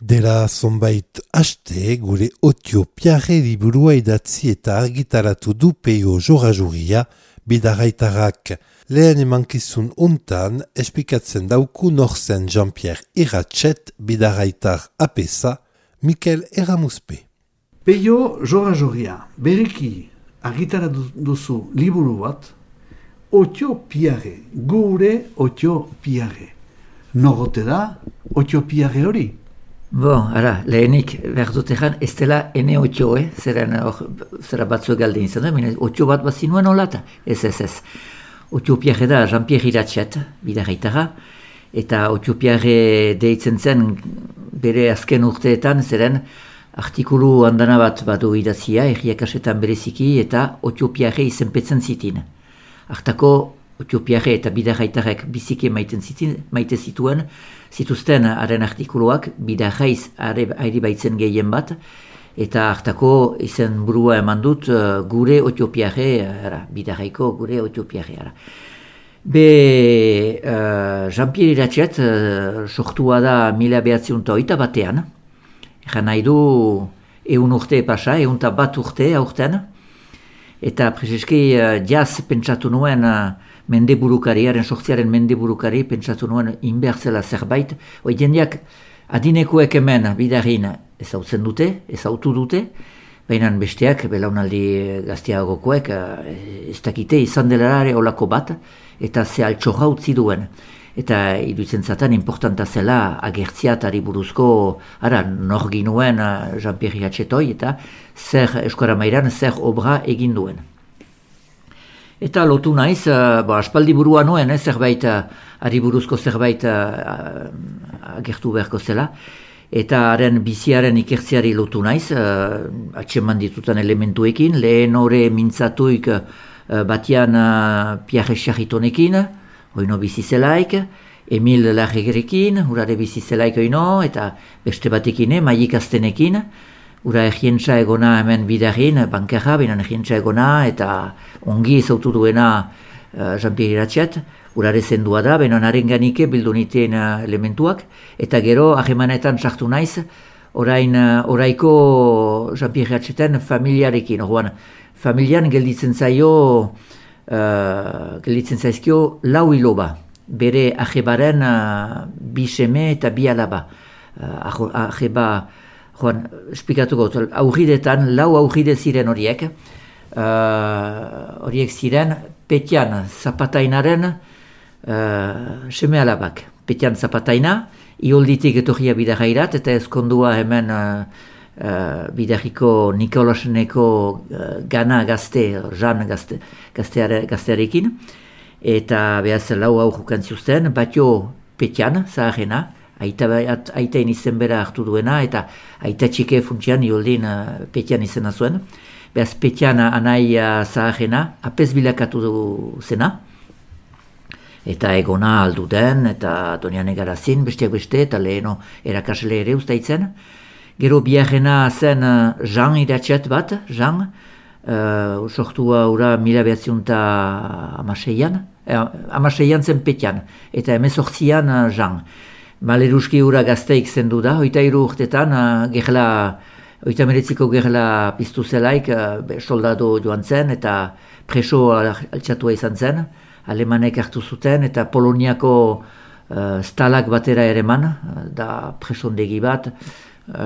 Dela zonbait aste, gure Otio Piarre liburua idatzi eta argitaratu du Peio Jorajuria, bidarraitarrak. Lehen emankizun untan, espikatzen dauku norzen Jean-Pierre Iratxet, bidarraitar apesa, Mikel Eramuspe. Peio Jorajuria, bereki argitaratu duzu liburu bat, Otio Piarre, gure Otio Piarre. Nogote da Otio Piarre hori? Ara, lehenik behar dut egan, ez dela ene otio, zera batzuek galde izan da, otio bat bazinuen olata, ez. Otio Piarre da Jean-Pierre Iratxet, bidarraitara, eta Otio Piarre deitzen zen bere azken urteetan, zeren artikulu handana bat badu idazia, erriakasetan bereziki, eta Otio Piarre izenpetzen zitin. Hartako Otio Piarre eta bidarraitarek biziki maite zituzten haren artikuluak, bidarraiz ari baitzen gehien bat, eta hartako izen burua eman dut gure Otio Piarre, bidarraiko gure Otio Piarre. Jean-Pierre Iratxet sortua da 1908 batean, egan nahi du 100 urte pasa, 101 urte aurten, eta prezeski jaz pentsatu nuen mendeburukari, haren sortziaren mendeburukari, pentsatu nuen inbertzela zerbait. Jendeak adinekoek hemen bidarrin ezautu dute, baina besteak, belaunaldi gazteagokoek, ez dakite izan delarare olako bat, eta ze altxorra utzi duen. Eta iduitzen zaten importanta zela agertziatari buruzko, nor ginuen Jean-Pierre Iratxetoi, eta zer eskora mairan, zer obra egin duen. Eta lotu naiz, aspaldi burua nuen, zerbait, ari buruzko zerbait agertu beharko zela, eta haren biziaren ikertziari lotu naiz, atseman ditutan elementuekin, lehen hore mintzatuik batian Pierre Charitonekin, oino bizizelaik, Emil Larregerekin, urare bizizelaik oino, eta beste batekin, Maik Aztenekin, ura egientza egona hemen bidarrin, bankerra, binan egientza egona, eta ongi ezautu duena Jean-Pierre Iratxet, urare zendua da, benon arenganike bildu niten elementuak, eta gero ahemanetan sartu naiz, oraiko Jean-Pierre Iratxeten familiarekin, familian gelditzen zaizkio lau iloba, bere ahebaren bi seme eta bi alaba. Aheba, esplikatuko, lau aurride ziren horiek, ziren Petian Zapatainaren seme alabak. Petian Zapataina, iolditik etorria bidarrairat, eta ezkondua hemen bidarriko Nikolaseneko gana gazte, Jean gaztearekin, eta behaz lau aurrukan zuzten, batio Petian, zaharena, aitain izen bera hartu duena, eta aita txike funtsian ioldin Petian izena zuen. Behaz Petian anai zaharena, apez bilakatu du zena, eta egona aldu den, eta donian egarazin, besteak beste, eta leheno erakasle ere ustaitzen. Gero biharrena zen Jean Iratxet bat, Jean, sortua ura 1906an, amaseian zen Petian, eta 18an Jean. Maleruski ura gazteik zendu da, 23 urtetan, oita meretziko gerla piztu zelaik, soldado joan zen, eta preso altxatua izan zen, alemanek hartu zuten, eta Poloniako stalak batera ereman, da presondegi bat.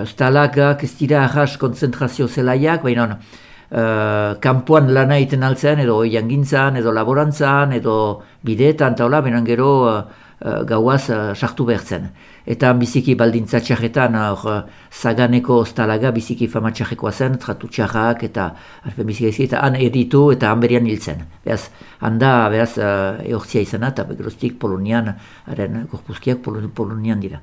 Stalakak ez dira ahas konzentrazio zelaiak, baina kanpoan lana egiten altzen, edo jangintzan, edo laborantzan, edo bideetan, taula, baina gero gauaz sartu behartzen. Eta biziki baldintza txarretan Zaganeko stalaga biziki fama txarrekoa zen, tratu txarrak eta eta han editu eta han berian hiltzen. Beaz, handa eortzia izana eta geroztik Polonian, haren gorpuzkiak Polonian dira.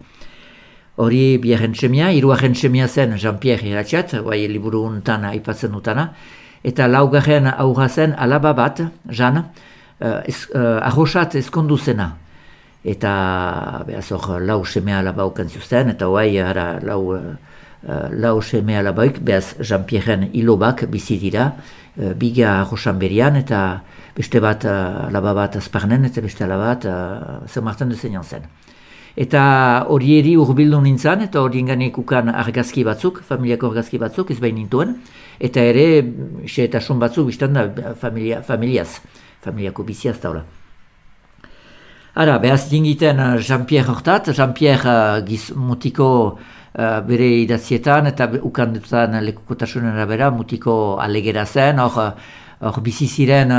Hori biharren txemia, hiruaren txemia zen Jean-Pierre Iratxet, bai liburu untan aipatzen dutana, eta laugarren aurra zen alaba bat, Jean, arrosat ezkondu zena. Eta behaz hor lau seme alaba okan zuzten, eta hoai lau seme alabaik, behaz Jean-Pierren ilobak bizi dira, biga arrosan berian, eta beste bat alaba bat azparnen, eta beste alaba bat zer martan duzen zen. Eta horieri urbildu nintzen, eta horien ganek ukan argazki batzuk, familiako argazki batzuk, ez behin nintuen. Eta ere, xeetasun batzuk, biztan da, familiako biziaz daula. Ara, behaz dingiten Jean-Pierre hortat, Jean-Pierre mutiko bere idatzietan, eta ukan dutan lekukotasunen arabera, mutiko alegera zen, hor bizi ziren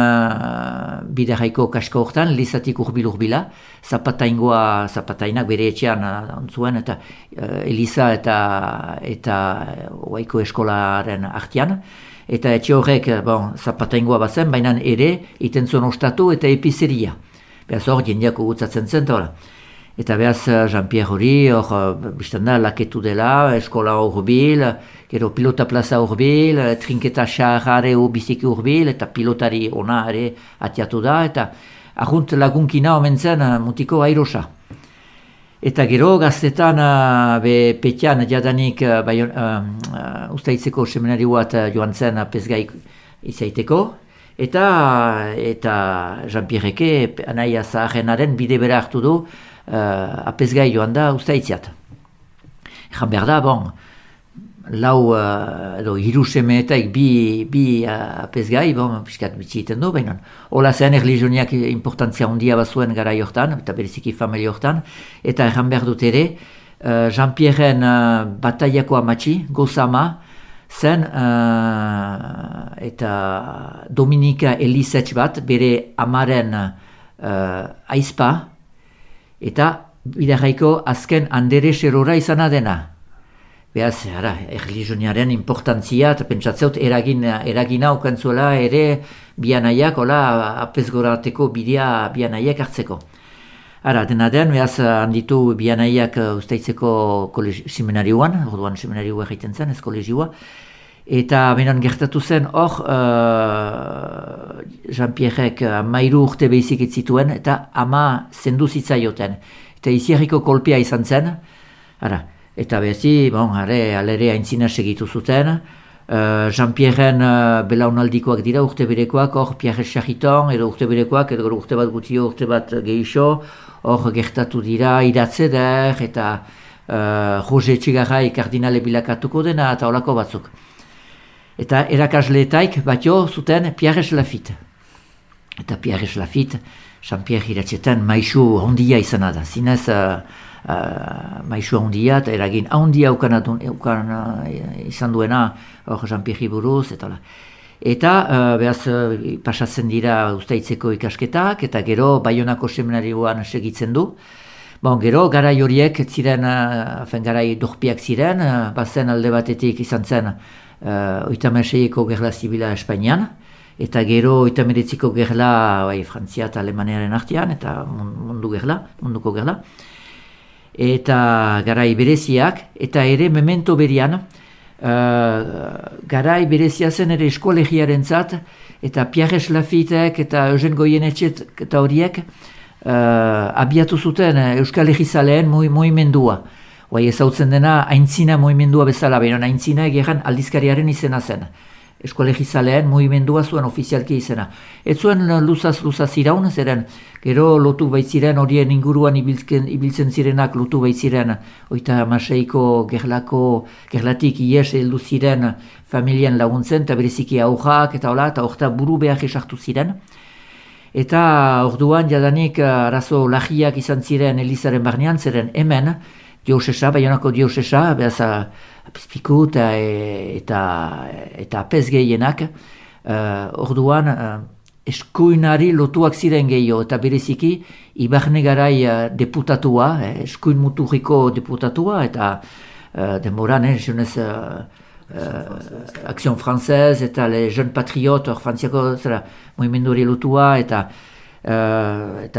bidarraiko kasko hortan, lizatik urbila, zapatainak bere etxean ontzuen, eta Eliza eta Oaiko eskolaren artean. Eta etxe horrek zapataingoa bazen, baina ere iten zuen ostatu eta epizeria. Behaz hor, jendeak gutzatzen zen, eta behaz Jean-Pierre hori, hor biztan da, laketu dela, eskola urbil, gero pilota plaza urbil, trinketa xarrare biziki urbil, eta pilotari ona ere atiatu da, eta ahunt lagunkina omen zen mutiko airosa. Eta gero gaztetan petian jadanik Uztaitzeko seminari bat joan zen Apezgai izaiteko, eta Jean-Pierreke anaia zaharrenaren bide bera hartu du Apezgai joan da Uztaitziat. Egan behar da, hiru semeetaik bi Apezgai, piskat bitxi iten du, baina hola zen erlizioniak importantzia handia bazuen gara jortan, eta bereziki familia jortan, eta egan behar dut ere, Jean-Pierren bataiako amatxi, Gozama, zen eta Dominika Elizetx bat, bere amaren aizpa, eta bidarraiko azken Andere Serora izana dena. Behaz, erlizioniaren importantzia, eta pentsatzeut eragina ukantzuela ere bianaiak, apezgorateko bidea bianaiak hartzeko. Dena den, behaz handitu bianaiak Uztaitzeko seminarioan, orduan seminarioa egiten zen, ez kolegioa, eta benan gertatu zen, hor Jean-Pierrek 13 urte behizik zituen, eta ama zendu zitzaioten. Eta iziarriko kolpea izan zen, eta bezi, alere aintzina segitu zuten, Jean-Pierren belaunaldikoak dira, urte berekoak, hor Pierre Charriton, edo urte berekoak, edo urte bat gutio, urte bat gehixo, hor gertatu dira Idatzeder, eta Jose Etxegarrai kardinale bilakatuko dena, eta holako batzuk. Eta erakasleetaik batio zuten Pierre Lafitte. Eta Pierre Lafitte, Jean-Pierre iratxetan maisu hondia izan da, zinez maisu handia eta eragin handia izan duena Jean-Pierre buruz eta behaz pasatzen dira Uztaitzeko ikasketak eta gero Baionako seminarioan segitzen du. Gero garai horiek ziren, garai dorpiak ziren, bazen alde batetik izan zen 36ko gerla zibila Espainian, eta gero 39ko gerla Frantzia eta Alemaniaren artean, eta munduko gerla. Eta garai bereziak, eta ere memento berian, garai berezia zen ere eskolegiaren zat, eta Pierre Lafittek eta Eugen Goyenetxet eta horiek abiatu zuten Euskal Herrizaleen muimendua. Ezautzen dena aintzina muimendua bezala, baina aintzina egeran aldizkariaren izena zen. Eskolegizaleen muimendua zuen ofizialki izena. Ez zuen luzaz iraun, zeren gero lotu baitziren horien inguruan ibiltzen zirenak lotu baitziren 36ko gerlatik ies heldu ziren familien laguntzen, eta bereziki aurrak eta hola, eta horta buru behar esartu ziren. Eta orduan jadanik arazo lagiak izan ziren Elizaren barnean, zeren hemen diosesa, Baionako diosesa, behaz apizpiku eta apez gehienak, orduan eskuinari lotuak ziren gehiago, eta bereziki Ibarne garai deputatua, eskuin muturriko deputatua, eta denboran, jenez Action Française, eta le Jeune Patriote, frantziako muimenduri lotua, eta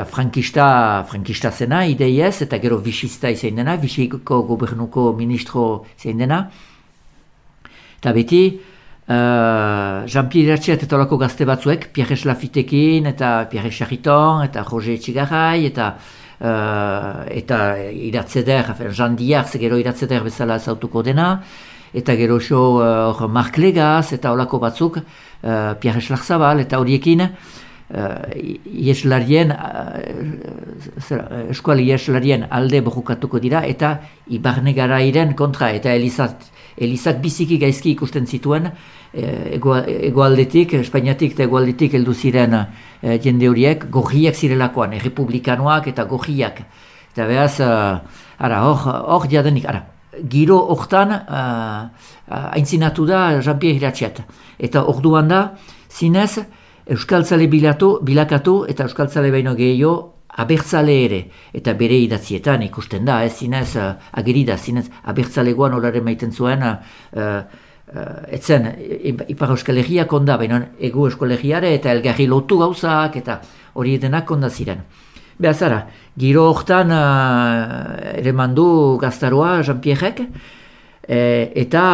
frankista zena, ideiez, eta gero Vichysta izan dena, Vichyko gobernuko ministro izan dena. Eta beti, Jean-Pierre Iratxet eta olako gazte batzuek, Pierre Lafittekin, eta Pierre Charriton, eta Jose Etxegarrai, eta Iratzeder, Jean Diarz, gero Iratzeder bezala zautuko dena, eta gero Marc Legaz, eta olako batzuk, Pierre Larzabal, eta horiekin, eskual ieslarien alde borrokatuko dira eta Ibarne Garairen kontra eta Elizak biziki gaizki ikusten zituen egoaldetik, Espainiatik eta egoaldetik heldu ziren jende horiek gorriak zirelakoan, errepublikanoak eta gorriak. Eta behaz, hor jadenik, giro hortan aintzinatu da Jean-Pierre Iratxet. Eta orduan da, zinez, euskaltzale bilakatu eta euskaltzale baino gehiago abertzale ere. Eta bere idatzietan ikusten da, zinez, agerida, zinez, abertzalegoan horare maiten zuen, etzen, Ipar Euskal Herriak onda, baina Ego Euskal Herriare eta elgarri lotu gauzak eta hori denak onda ziren. Behazara, giro hortan ere mandu gaztaroa Jean-Pierrek eta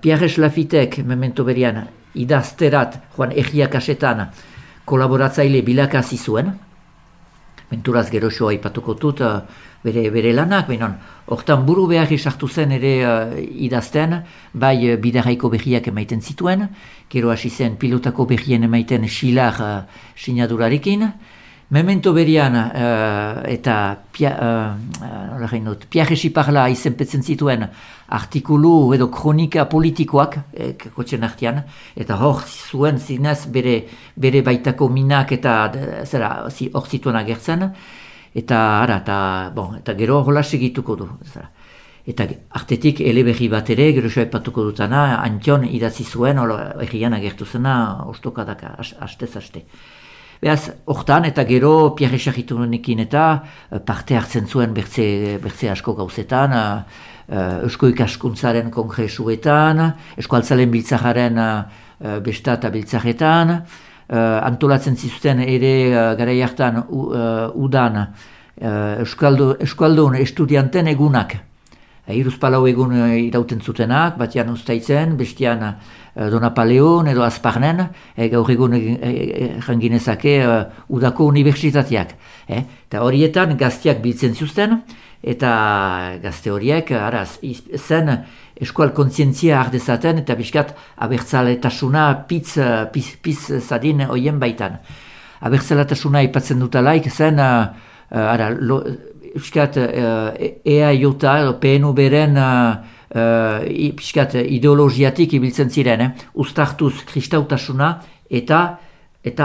Pierre Lafitek memento berian idazterat Juan Egiakasetan kolaboratzaile bilakazi zuen. Menturaz geroxoa ipatuko dut bere lanak, benon, hortan buru behar sartu zen ere idazten, bai bidaraiko behiak emaiten zituen, gero hasi zen pilotako behien emaiten xilar sinadurarekin, memento berian eta Pierre Xiparla izenpetzen zituen artikulu edo kronika politikoak kotxen artean, eta hor zuen zinez bere baitako minak eta hor zituen agertzen, eta gero hola segituko du. Eta artetik eleberri bat ere, gero ipatuko dutana, Antion idatzi zuen, errian agertu zena, ostokadaka, hastez-haste. Beaz, hortan eta gero Pierre Charitunekin eta parte hartzen zuen bertze asko gauzetan, Eusko Ikaskuntzaren kongresuetan, Eskualtzalen biltzajaren besta eta biltzajetan, antolatzen zizuten ere garai hartan udan Euskaldun estudianten egunak. Hiruzpalau egun irauten zutenak, batian Uztaitzen, bestian Donapaleon edo Azparnen, gaur egun janginezake udako unibertsitateak. Eta horietan gazteak biltzen zuzten, eta gazte horiek zen eskual kontzientzia ardezaten, eta biskat abertzaletasuna piz zadin hoien baitan. Abertzaletasuna ipatzen dutalaik zen, piskat EAJ edo PNU beren piskat ideologiatik ibiltzen ziren, uztartuz kristautasuna eta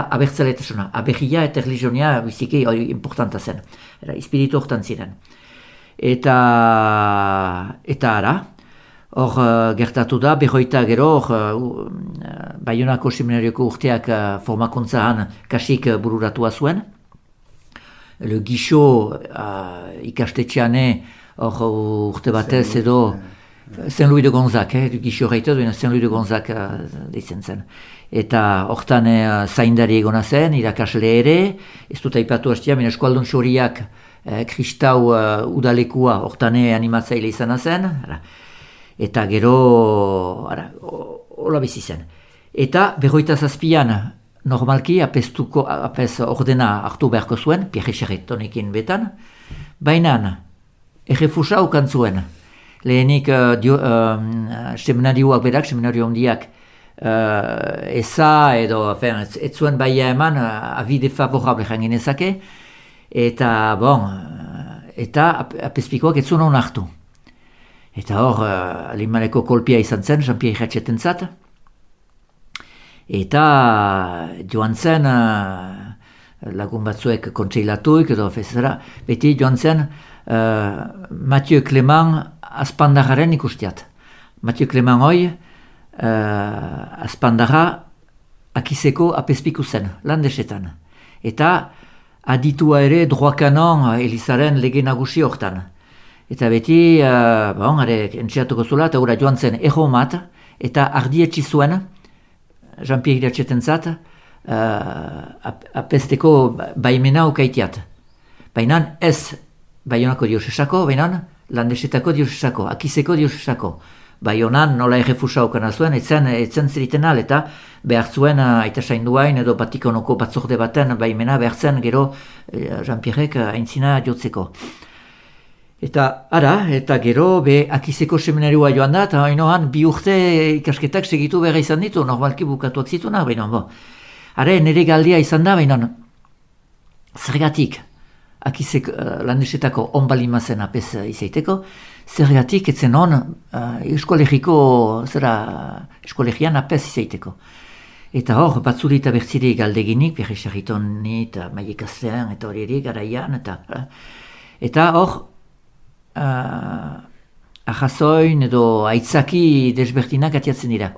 abertzaletasuna. Aberria eta religionia biziki importanta zen, espiritu hortan ziren. Eta hor gertatu da, berroita gero, Baionako seminarioko urteak formakuntzahan kasik bururatua zuen. Le Guichot ikastetxeane hor urte batez edo Saint-Louis de Gonzac, Le Guichot reitot, Saint-Louis de Gonzac deitzen zen. Eta hortan zaindari egona zen, irakasle ere, ez dut aipatu hastia, eskualdun xoriak kristau udalekua hortan animatzaile izana zen, eta gero hola bizi zen. Eta berroita zazpian, normalki apez ordena hartu beharko zuen, Pierre Charitonekin betan, baina errefusa ukan zuen. Lehenik seminarioak berak, seminario hondiak, eza edo, ez zuen baia eman, avis defavorable janginezake, eta apezpikoak ez zuen hon hartu. Eta hor, alimaleko kolpia izan zen, Jean-Pierre Iratxeten zat, eta joan zen lagun batzuek kontseilatuik edo beti joan zen Mathieu Clément Azpandarraren ikustiat. Mathieu Clément hoi Azpandarra akizeko apezpiku zen, landesetan. Eta aditua ere droit canon Elizaren lege nagusi hortan. Eta beti, entxeatuko zula, eta joan zen erromat, eta ardietsi zuen Jean-Pierre Iratxeten zat, apesteko baimena ukaitiat. Baina ez Baionako diosesako, baina landesetako diosesako, akizeko diosesako. Baionan nola errefusa ukana zuen, etzen zeriten al, eta behar zuen aita sainduain edo Vatikanoko batzorde baten baimena behar zen gero Jean-Pierrek aintzina jotzeko. Eta gero akizeko seminarioa joan da, eta hainoan 2 urte ikasketak segitu behar izan ditu, normalki bukatuak zitunak, baina Hare, nire galdia izan da, baina zergatik, akizek landesetako onbalimazen apes izaiteko, zergatik etzen hon eskolegian apes izaiteko. Eta hor, batzuri eta bertziri galdeginik, Pierre Charritoni eta Maie Kaslean eta hori ere garaian, eta hor, ahazoin edo aitzaki desbertinak atiatzen dira.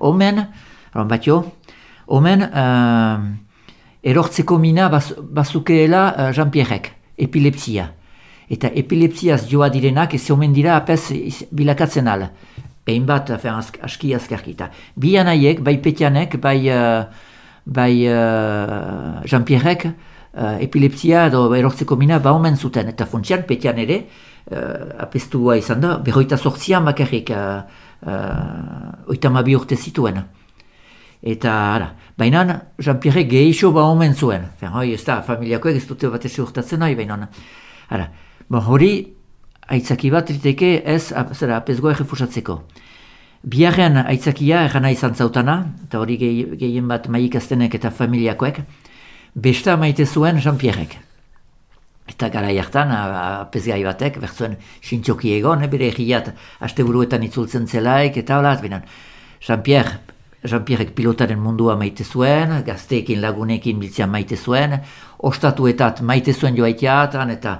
Omen erortzeko mina bazukeela Jean-Pierrek, epilepsia. Eta epilepsiaz joa direnak ez omen dira apes bilakatzen ala. Behin bat, aski azkarkita. Bi anaiek, bai Petianek, bai Jean-Pierrek, epilepsia edo erortzeko mina ba omen zuten. Eta funtsian, Petian ere, apestua izan da, 28 bakarrik, 32 urte zituen. Eta, baina Jean-Pierrek gehixo ba omen zuen. Hoi, ez da, familiakoek ez dute bat eze urtatzen nahi, baina. Hori, aitzaki bat riteke ez apesgoa errefusatzeko. Biharren aitzakia errana izan zautana, eta hori gehien bat Maie Kaslenek eta familiakoek, besta maite zuen Jean-Pierrek. Eta gara jartan, apesgai batek, bertzuen sintxoki egon, bere egiat asteburuetan itzultzen zelaik, eta hola, Jean-Pierrek pilotaren mundua maite zuen, gazteekin lagunekin biltzean maite zuen, ostatuetat maite zuen joaiteatan, eta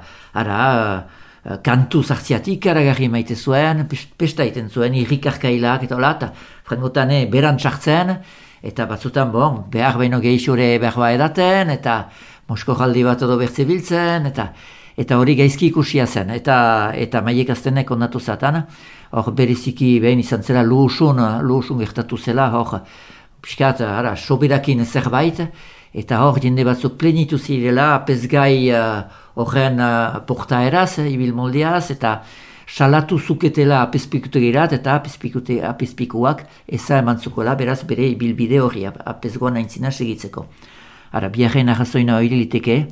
kantu zartziatik aragarri maite zuen, pesta iten zuen, irrikarkailak eta hola, eta frangotane beran txartzen, eta batzutan, behar baino gehixore behar edaten, eta mosko jaldi bat edo bertze biltzen, eta hori gaizki ikusia zen, eta Maie Kaslenek ondatu zatan, hor bereziki behin izan zela luhusun gertatu zela, hor piskat, soberakin zerbait, eta hor jende batzuk plenitu zirela, apesgai horren portaeraz, ibil moldeaz, eta salatu zuketela apespikutegirat, eta apespikuak eza emantzukola, beraz bere ibilbide hori apesgoan aintzina segitzeko. Biharren arrazoina hori liteke,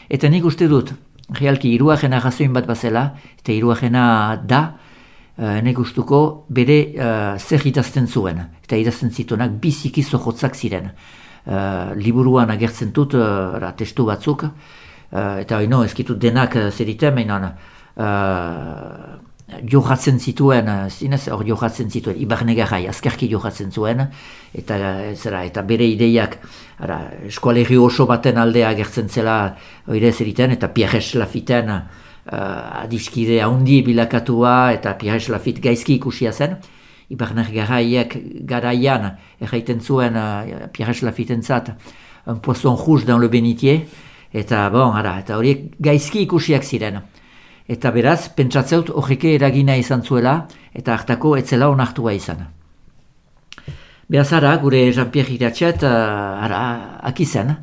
eta nik uste dut, realki hiruaren arrazoin bat bazela, eta hiruarena da, nik ustuko bere zer idazten zuen, eta idazten zituenak biziki zohotzak ziren. Liburuan agertzen dut testu batzuk, eta ez kitut denak zeriten, mainan johatzen zituen, zinez hor johatzen zituen, Ibarnegarai azkarki johatzen zuen, eta bere ideiak eskualerri oso baten aldea agertzen zela oire zeriten, eta Pierre Lafitten adiskide haundi bilakatua, eta Pierre Lafitte gaizki ikusia zen, Ibarnegaraiek garaian erraiten zuen Pierre Lafittentzat un poisson rouge dans le bénitier, eta horiek gaizki ikusiak ziren. Eta beraz, pentsatzeut horreke eragina izan zuela, eta hartako etzela onartua izan. Beraz gure Jean-Pierre Iratxet, akizen.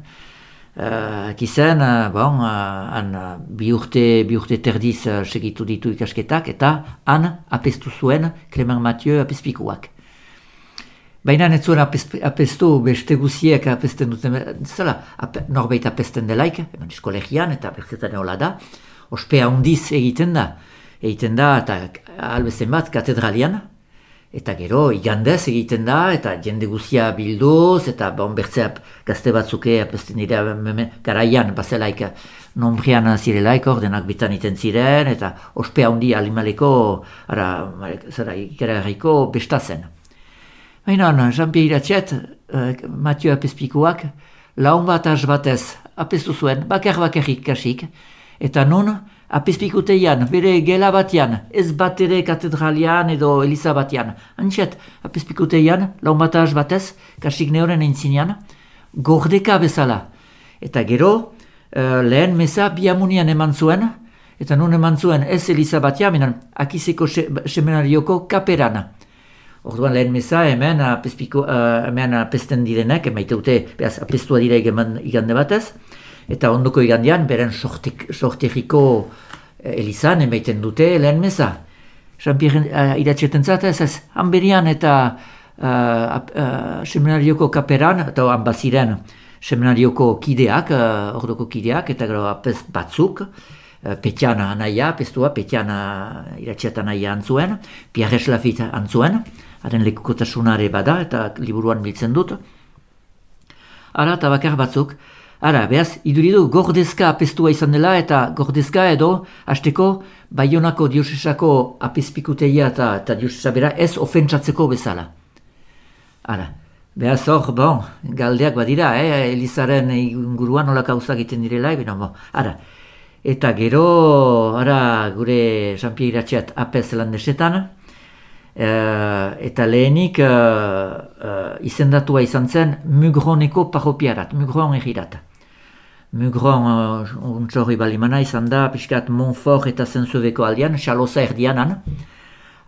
Bi urte terdiz segitu ditu ikasketak, eta han apestu zuen Clément Mathieu apespikuak. Baina ez zuen apestu beste guziek apesten duten, norbait apesten delaik, eskolegian eta berzetan hola da, ospea hundiz egiten da, eta albezen bat katedralian, eta gero igandez egiten da, eta jende guzia bilduz, eta bertzeap gazte batzuke apesten dira garaian, bazelaik nombrian zirelaik, ordenak bitan iten ziren, eta ospea hundi alimaleko, ikaragarriko bestazen. Baina, Jean-Pierre Iratxet, Mathieu apespikuak, laun bat batez apestu zuen, bakarrik kasik, eta nun apespikuteian, bere gela batian, ez bat ere katedralian edo eliza batian, antxet apespikuteian, laun bat batez, kasik neoren entzinean, gordeka bezala. Eta gero, lehen meza biamunian eman zuen, eta nun eman zuen ez eliza batian, minan akizeko seminarioko kaperan. Orduan lehen meza hemen apesten direnek, emaite dute apestua dira igande batez, eta ondoko igandean beren sorterriko elizan emaiten dute lehen meza. Jean-Pierre Iratxetentzat ez, hanberian eta seminarioko kaperan, eta hanbaziren seminarioko kideak, ordoko kideak, eta gero apes batzuk, Petiana anaia, apestua, Petiana Iratxet anaia antzuen, Pierre Lafitte antzuen, haren lekukotasunare bada, eta liburuan biltzen dut. ara eta bakar batzuk. Ara, behaz, iduridu gordezka apestua izan dela eta gordezka edo hasteko Baionako diosesako apezpikuteia eta diosesa bera ez ofentsatzeko bezala. Ara, behaz hor, bon, galdeak badira, Elizaren inguruan nola kauzak egiten direla, ara. Eta gero, ara, gure Jean-Pierre Iratxeat apez landesetan, eta lehenik izendatua izan zen Mugroneko parropiarat, Mugron egirat. Mugron untxorri balimana izan da, pixkat Montfort eta Zentzubeko aldean, Xaloza erdianan.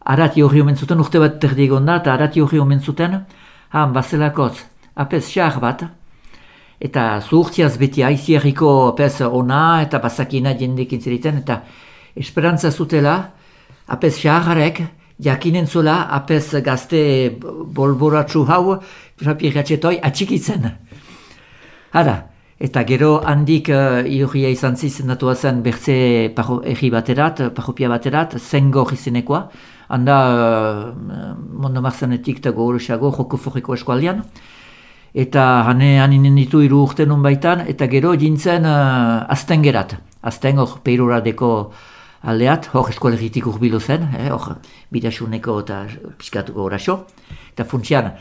Arati horri omen zuten, urte bat terdi egon da, eta arati horri omen zuten, bazelakotz, apez xar bat, eta zuhurtziaz beti aiziarriko apez ona eta bazakina jendekin zeriten, eta esperantza zutela, apez xarrarek, jakinen zula apez gazte bolboratsu hau, Jean-Pierre atxikitzen. Ara, eta gero handik iurria izan zizendatua zen bertze erri baterat, parropia baterat, Zengor izenekoa, handa Mondo-Marzanetik eta gogoresago joko forriko eskualdean, eta haninen ditu 3 urte nun baitan, eta gero jintzen Astengerat, Asten hor Peiroradeko aldeat, hor eskolegitik urbilu zen, hor bidasuneko eta piskatuko oraxo, eta funtsian,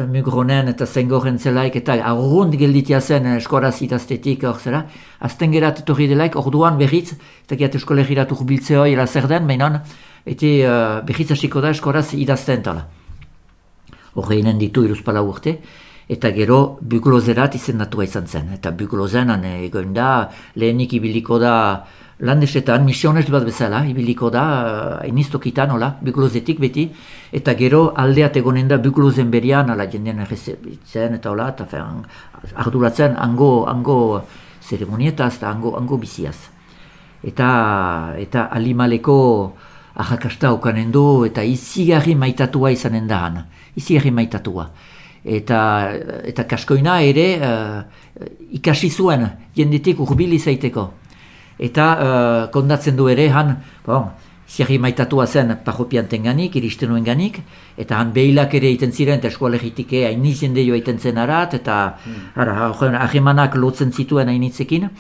Mugronen eta Zengoren zelaik eta arrund gelditia zen eskoraz idaztetik hor zera. Astengerat etorri delaik, orduan berriz, eta giat eskolegirat urbiltzeo ira zer den, mainan, eta berriz hasiko da eskoraz idazten tala. Horreinen ditu 3 urte, eta gero Buglozerat izendatua izan zen. Eta Buglozenan egoin da, lehenik ibiliko da landesetan, misionez bat bezala, ibiliko da, inistokitan, hola, Buglozetik beti, eta gero aldeat egonen da Buglozen berian, ala jendean errezebitzen, eta hola, eta arduratzen hango zeremonietaz, eta hango biziaz. Eta Alimaleko ahakasta okanen du, eta izigarri maitatua izanen da han, izigarri maitatua. Eta kaskoina ere ikasi zuen jendetik urbil izaiteko. Eta kondatzen du ere han, ziarri maitatua zen parropianten ganik, iristen nuen ganik, eta han behilak ere egiten ziren, eta eskualegitik hainiz jende joa egiten zen arat, eta ahemanak lotzen zituen hainitzekin.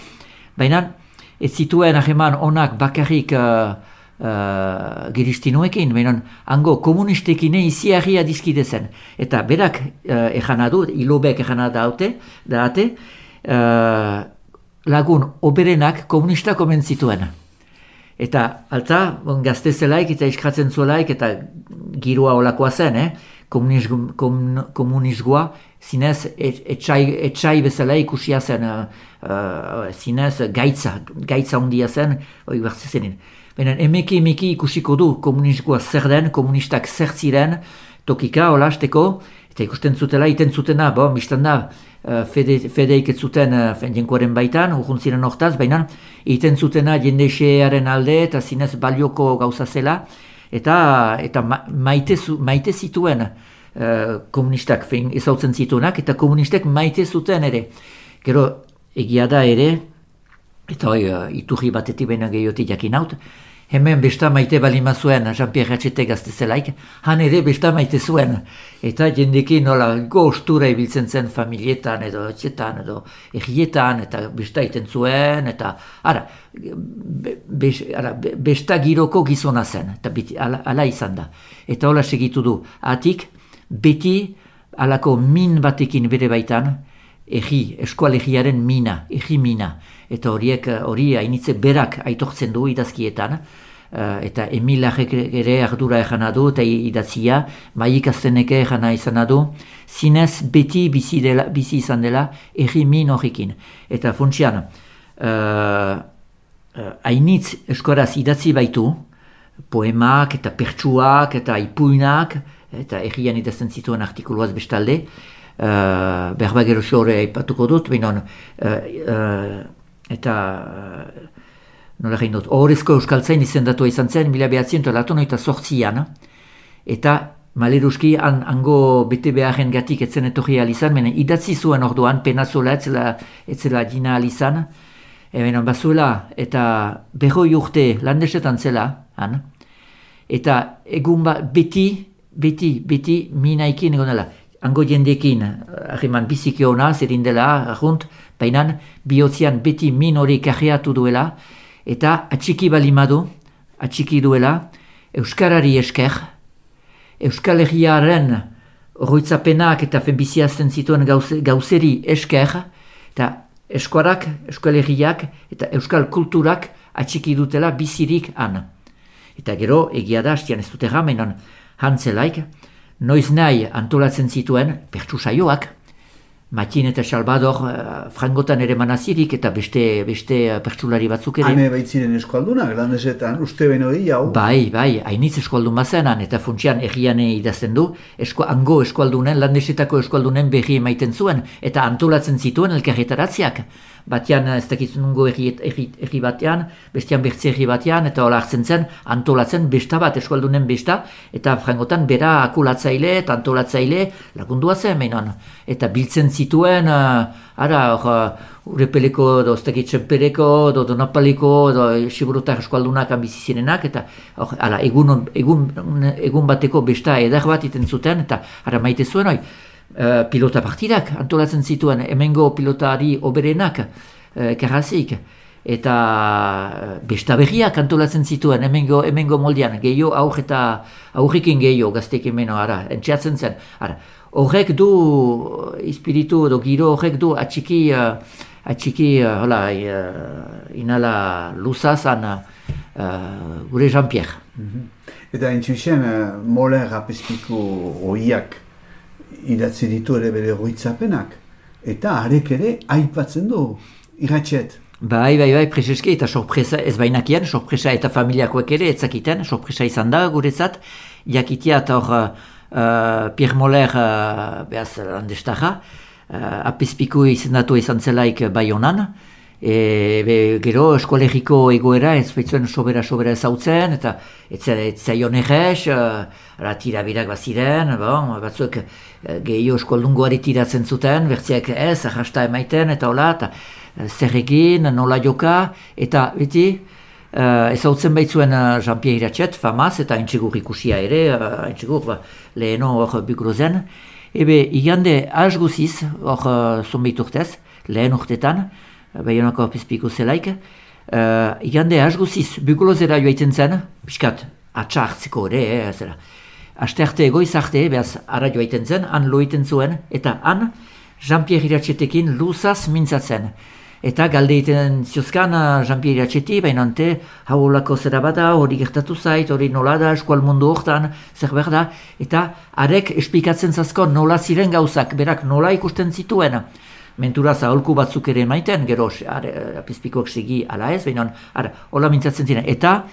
Baina ez zituen aheman onak bakarrik giristinuekin, baina hango komunistekin iziarria dizkide zen. Eta berak ejanadu, ilobek ejanadu daate, lagun oberenak komunistak omen zituen. Eta alta, gazte zelaik eta iskratzen zuelaik eta giroa olakoa zen, komunisgoa zinez etxai bezala ikusia zen, zinez gaitza ondia zen, hori bertze zenin. Baina emeki ikusiko du komunisgoa zer den, komunistak zer ziren, tokika olasteko, eta ikusten zutela, iten zutena, biztan da, fedeik ez zuten jenkoaren baitan, urrun ziren hortaz, baina iten zutena jende xearen alde eta zinez balioko gauza zela, eta maite zituen komunistak ezautzen zituenak, eta komunistek maite zuten ere. Gero egia da ere, eta iturri batetik baina gehiotik jakin haut, hemen besta maite balima zuen, Jean-Pierre Iratxetek gazte zelaik, han ere besta maite zuen. Eta jendekin nola gostura ibiltzen zen familietan edo etxetan edo egietan, eta besta iten zuen, eta besta giroko gizona zen, eta ala izan da. Eta hola segitu du, atik beti alako min batekin bere baitan, eskualegiaren mina, mina. Eta hori hainitze berak aitortzen du idazkietan, eta Emilarek ere ardura ejana du, eta idatzia, Maik Azteneke ejana izan du, zinez beti bizi izan dela min horrekin. Eta funtsian, hainitz eskoraz idatzi baitu, poemak eta pertsuak eta ipuinak, eta errian idazten zituen artikuluaz bestalde, berba gero xore aipatuko dut, binon, eta nola egin dut, Ohorezko Euskaltzain izendatua izan zen, 1988an, eta maleruski hango bete beharren gatik etzen etorri alizan, menen idatzi zuen orduan, penazola etzela dina alizan, bazuela, eta 100 urte landesetan zela, eta egun beti minaikin egon dela. hango jendekin, harreman biziki ona, zerin dela, arrunt, baina bihotzean beti min hori kajeatu duela, eta atxiki atxiki duela, Euskarari esker, Euskal Herriaren oroitzapenak eta biziazten zituen gauzeri esker, eta eskuarak, Euskal Herriak eta Euskal kulturak atxiki dutela bizirik han. Eta gero, egia da, hastian ez dute ramenon, hantzelaik, noiz nahi antolatzen zituen pertsu saioak, Matin eta Salvador frangotan ere manazirik eta beste pertsulari batzuk ere. Hane baitziren eskualdunak, landesetan, uste beno hau? Bai, hainitz eskualdun bazenan, eta funtsian erriane idazten du, hango eskualdunen, landesetako eskualdunen berri emaiten zuen, eta antolatzen zituen elkarretaratziak. Batean, ez dakitzen nungo erri batean, bestean bertze erri batean, eta hola hartzen zen, antolatzen besta bat, eskualdunen besta, eta frangotan bera akulatzaile eta antolatzaile lagundua zen menon. Eta biltzen zituen, Urepeleko, ez dakitzen pereko, Donapaliko, Siburutar eskualdunak bizizirenak, eta egun bateko besta edar bat iten zuten, eta maite zuen, pilota partidak antolatzen zituen, hemengo pilotari oberenak, karrazik, eta besta berriak antolatzen zituen, hemengo moldean, gehiago aurrekin gehiago gaztek hemeno, entxeatzen zen. Horrek du, espiritu edo giro horrek du atxiki, inala luzazan gure Jean-Pierre. Eta entzuzen, Moller apezpiko oiak idatzi ditu ere bere goitzapenak, eta harek ere aipatzen du, irratxet. Bai, prezeski, eta sorpresa ez bainakien, sorpresa eta familiakoek ere etzakiten, sorpresa izan da guretzat, jakitia eta hor Pierre Moller behaz landestarra, apezpiku izendatu izan zelaik Baionan, gero eskolegiko egoera ez baitzuen sobera ezautzen, eta ez zaion errez, tirabirak baziren, batzuk gehiago eskoldungoari tiratzen zuten, bertziak ez, arrasta emaiten, eta hola, eta zer egin, nola joka, eta beti, ezautzen baitzuen Jean-Pierre Iratxet, famaz, eta entxegur ikusia ere, entxegur leheno hor Bukrozen, igande az guziz, hor zonbait urtez, lehen urtetan, Baionako apezpiko zelaik, igande az guziz, Buklozera joaiten zen, piskat, atxa hartzeko ere, aste arte egoiz arte, behaz, ara joaiten zen, han loiten zuen, eta han Jean-Pierre Iratxetekin luzaz mintzatzen. Eta galdeiten ziozkan Jean-Pierre Iratxeti, bainante, hau lako zera bada, hori gertatu zait, hori nola da, eskual mundu hortan, zer behar da, eta arek esplikatzen zazko nola ziren gauzak, berak nola ikusten zituen. Mentura zaholku batzuk ere maiten, gero apezpikoak segi ala ez, baina hola mintzatzen ziren. Eta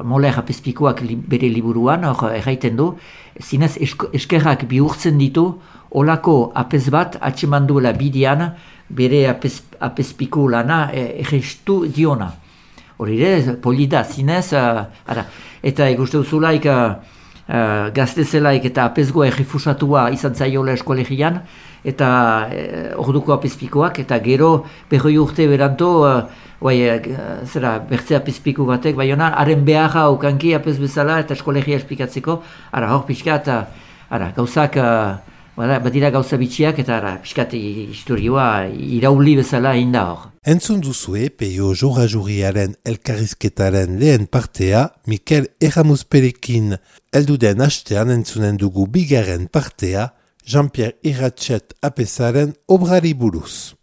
Moller apezpikoak bere liburuan, erraiten du, zinez eskerrak bihurtzen ditu, olako apez bat atseman duela bidean, bere apezpiko lana errestu diona. Hori ere, polida, zinez, eta ikuste duzulaik, gaztezelaik eta apezgoa errefusatua izan zaiola eskolegian, eta orduko apezpikoak, eta gero berroi urte beranto, bertze apezpiko batek, baina haren beharra ukanki apez bezala eta eskolegia esplikatzeko, hor pixka, eta gauzak, badira gauza bitxiak, eta pixkat historioa irauli bezala inda hor. Entzun duzue Peio Jora-Juriaren elkarrizketaren lehen partea Mikel Erramuzperekin. Elduden hastean entzunen dugu bigarren partea Jean-Pierre Iratxet apezaren obrari buruz.